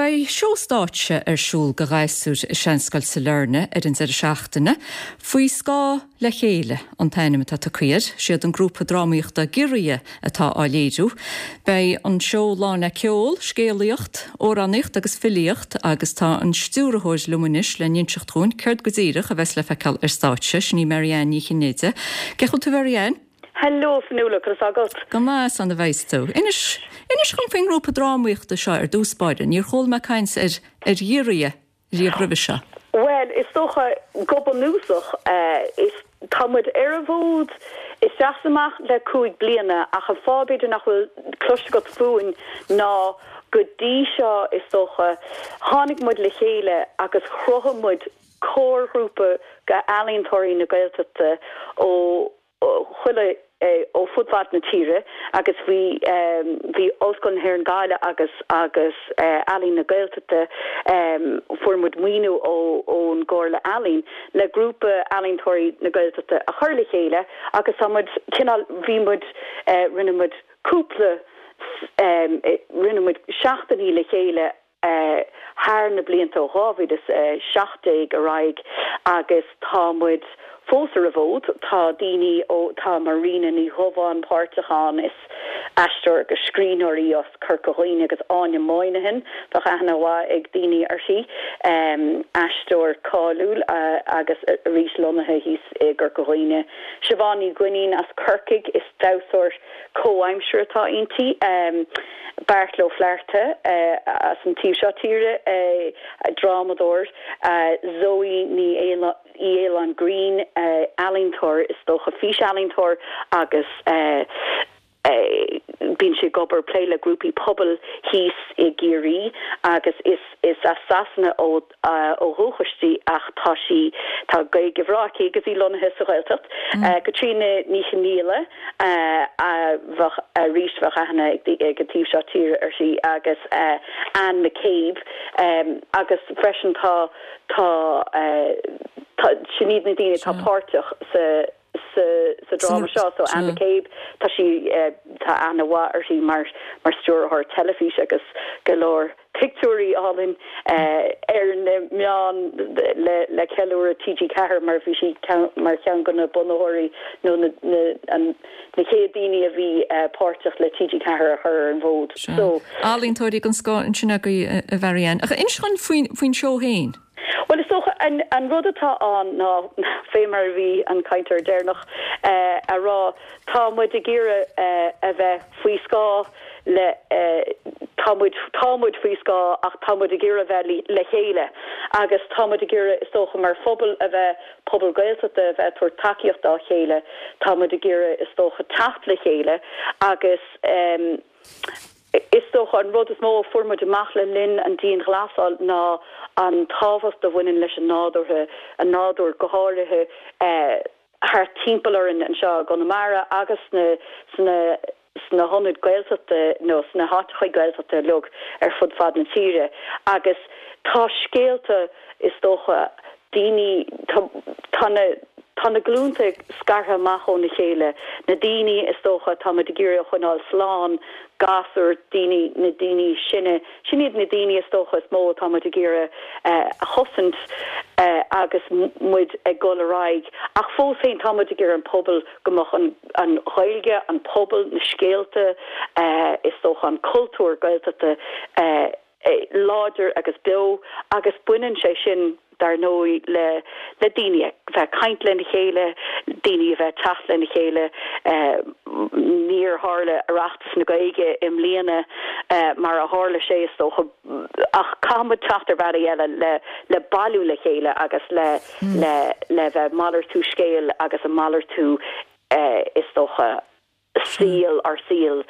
Beidh seó stáitse ar siúl do ghasúir i Seanscoil Sailearna ar an deireadh seachtaine. Faoi Scáth le Chéile an t-ainm atá tugtha air. Siad an grúpa drámaíochta Giorria atá á léiriú. Beidh an seó lán le ceol, scéalaíocht, amhránaíocht agus filíocht agus tá an stiúrthóir liom anois le n-inseacht dhúinn céard go díreach a bheas le feiceáil ar stáitse, sin í Mary Ann Ní Chinnéide. Cén chaoi a bhfuil tú Mary Ann? Hello Fionnuala, conas tá agat? Go maith, is ann a bheas tú. Inis, inis dhom faoin ngrúpa drámaíochta seo ar dtús báire. Níor chuala mé caint ar, ar Ghiorria riamh roimhe seo. Bhuel, is dócha, go bunúsach, is, tá muid ar an bhfód isteach is amach le 5 bliana ach an fáth b'fhéidir nach bhfuil cloiste agat fúinn ná go dtí seo, is dócha, tháinig muid le chéile agus chruthaigh muid comharghrúpa d'ealaíontóirí na Gaeltachta ó chuile ó fud fad na tíre agus bhí bhí Ollscoil na hÉireann Gaillimh agus agus Ealaín na Gaeltachta fuair muid maoiniú ó ón gComhairle Ealaíon le grúpa ealaíontóirí na Gaeltachta a chur le chéile agus tá muid cineál bhí muid rinne muid cúpla rinne muid seachtainí le chéile thar na blianta ó 2017 ar aghaidh agus tá muid fós ar an bhfód. Tá daoine ó, tá Marina Ní Dhubháin páirteach ann, is aisteoir agus scríbhneoir í as Corca Dhuibhne agus Áine Moynihan, bheadh aithne mhaith ag daoine uirthi, aisteoir cáiliúil agus arís lonnaithe thíos i gCorca Dhuibhne. Siobhán Ní Dhuinnín as Corcaigh, is damhsóir comhaimseartha atá inti. Beairtle Ó Flatharta as an taobh seo tíre, drámadóir, Zoe Ní Fhaoláin Greene, ealaíontóir, is dócha, físealaíontóir agus bíonn sí ag obair, plé le grúpaí pobail thíos i gCiarraí agus is is as Sasana ó ó dhúchas di ach tá sí, tá Gaeilge bhreá aici agus í lonnaithe sa Ghaeltacht. Caitríona Ní Chonghaile a bheadh, arís bheadh aithne ag ag an taobh seo tíre uirthi agus Anne McCabe agus freisin tá, tá, tá, sin iad na daoine atá páirteach sa sa dráma seo. So Anne McCabe, tá sí, tá aithne mhaith uirthi mar mar stiúrthóir teilifíse agus go leor pictiúirí álainn ar na meáin le le ceiliúradh TG4 mar bhí sí mar cheann de na bunaitheoirí nó na na an na chéad daoine a bhí páirteach le TG4 a chur ar an bhfód. So. Ealaíontóirí den scoth ansin agaibh a Mhary Ann. Ach inis dhúinn faoin faoin seó féin. Bhuel, is dócha, an rud atá ann ná, fé mar a bhí an cainteoir deireanach a rá, tá muid ag iarraidh a bheith faoi scáth le, tá muid, tá muid faoi scáth ach tá muid ag iarraidh a bheith le chéile agus tá muid ag iarraidh, is dócha, mar phobal a bheith, pobal Gaeltachta a bheith ag tabhairt tacaíocht dá chéile, tá muid ag iarraidh, is dócha, teacht le chéile agus. Is dócha an rud is mó a fuair muid amach le linn an dianghlasáil ná an tábhacht a bhaineann leis an nádúrtha, an nádúr go háirithe thart timpeall orainn anseo i gConamara agus sna sna sna hionaid Gaeltachta nó sna háiteachaí Gaeltachta uilig ar fud fad na tíre agus tá scéalta is dócha daoine, tá, tá na, tá na glúnta scartha amach óna chéile, na daoine is dócha atá muid ag iarraidh a choinneáil slán, gasúir, daoine, na daoine sine, sin iad na daoine is dócha is mó atá muid ag iarraidh a chosaint agus muid ag dul ar aghaidh. Ach fós féin tá muid ag iarraidh an pobal, go mbeadh an, an Ghaeilge, an pobal, na scéalta, is dócha an cultúr Gaeltachta, láidir agus beo agus baineann sé sin, dar ndóigh, le le daoine a bheith ag caint lena chéile, daoine a bheith ag teacht lena chéile. Níor tharla Oireachtas na Gaeilge i mbliana mar a tharla sé, is dócha, ach caithfidh muid teacht ar bhealaí eile le le bailiú le chéile agus le le le bheith ag malartú scéal agus ag malartú, is dócha, saol, ár saol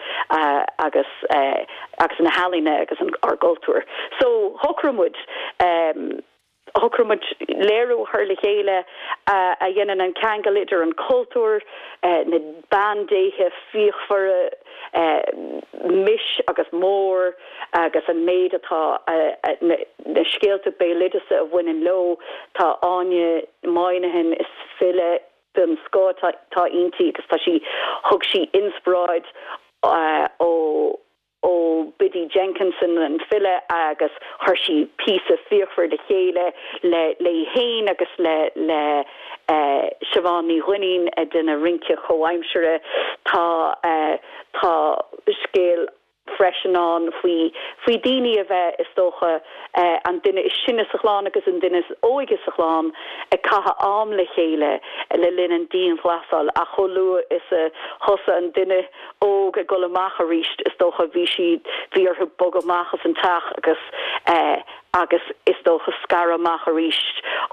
agus agus na healaíona agus ár gcultúr. So shocraigh muid, shocraigh muid léiriú a chur le chéile a dhéanann an ceangal idir an cultúr, na bandéithe fíochmhara, Mis agus Mór agus an méid atá, na scéalta béaloideasa a bhaineann leo. Tá Áine Moynihan, is file, den scoth atá inti agus tá sí, thug sí inspioráid ó. ó Biddy Jenkinson, an file, agus chuir sí píosa fíochmhar le chéile le léi féin agus le le Siobhán Ní Dhuinnín ag déanamh rince comhaimseartha. Tá tá scéal freisin ann faoi faoi daoine a bheith, is dócha, an duine is sine sa chlann agus an duine is óige sa chlann ag caitheamh am le chéile le linn an dianghlasáil ach chomh luath is a thosaigh an duine óg ag dul amach arís, is dócha, bhí siad, bhí orthu bogadh amach as an teach agus eh agus is dócha scaradh amach arís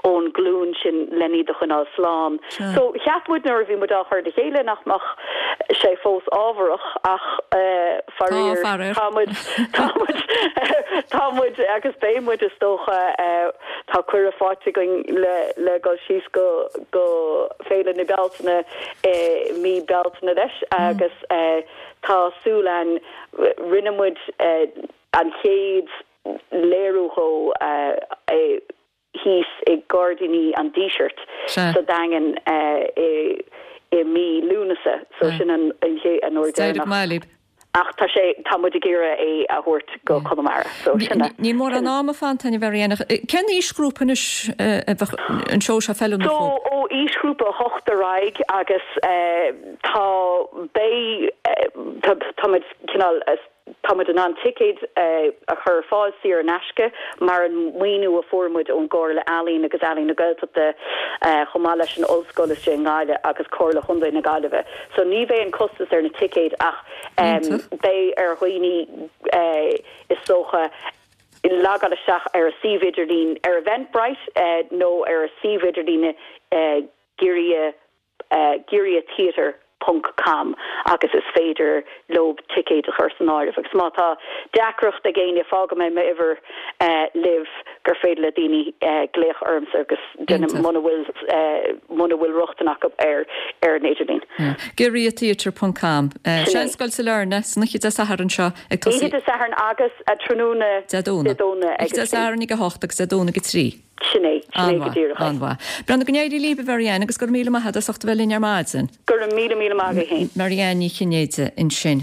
ón nglúin sin len iad a choinneáil slán. So cheap muid nuair a bhí muid á chur le chéile nach mbeadh sé fós ábharach ach eh faraor tá muid, tá muid, tá muid agus beidh muid is dócha eh tá cuireadh faighte againn le le dul síos go go Féile na Bealtaine i mí Bealtaine leis agus tá súil againn, rinne muid an chéad léiriú dhó thíos i nGairdíní an Dísirt sa Daingean i mí Lúnasa so sin an uair deireanach. Ach tá sé, tá muid ag iarraidh é a thabhairt go Conamara. So sin é. Níl mórán ama fanta againn a Mhary Ann ach cén aoisghrúpa anois a bheadh an seó seo feiliúnach So dóibh? ó aoisghrúpa 8 ar aghaidh agus tá, beidh, tá, tá muid cineál, tá muid in ann ticéid a chur ar fáil saor in aisce mar an maoiniú a fuair muid ón gComhairle Ealaíon agus Ealaín na Gaeltachta chomh maith leis an Ollscoil istigh i nGaillimh agus Comhairle Chontae na Gaillimhe. So ní bheidh aon costas ar na ticéid ach beidh ar dhaoine is dócha logáil isteach ar a suíomh idirlín ar Eventbrite nó ar a suíomh idirlíne Giorria giorriatheatre ponc com agus is féidir leo ticéid a chur san áireamh agus má tá deacracht ag éinne fágfaidh mé m'uimhir libh gur féidir le daoine glaoch ormsa agus déanamh muna bhfuil muna bhfuil rochtain acu ar ar an idirlíon. Giorriatheatre ponc com. Seanscoil Sailearna, san oíche Dé Sathairn seo ag tosaí. Oíche Dé Sathairn agus tráthnóna Dé Domhnaigh. Dé Domhnaigh ag Oíche Dé Sathairn ag 8 agus Dé Domhnaigh ag 3. Sin é, sin é go díreach é. An-mhaith. Breandán, go n-éirí libh, a Mhary Ann, agus go raibh míle maith agat as ucht a bheith linn ar maidin. Go raibh míle míle maith agat féin. Mary Ann Ní Chinnéide ansin.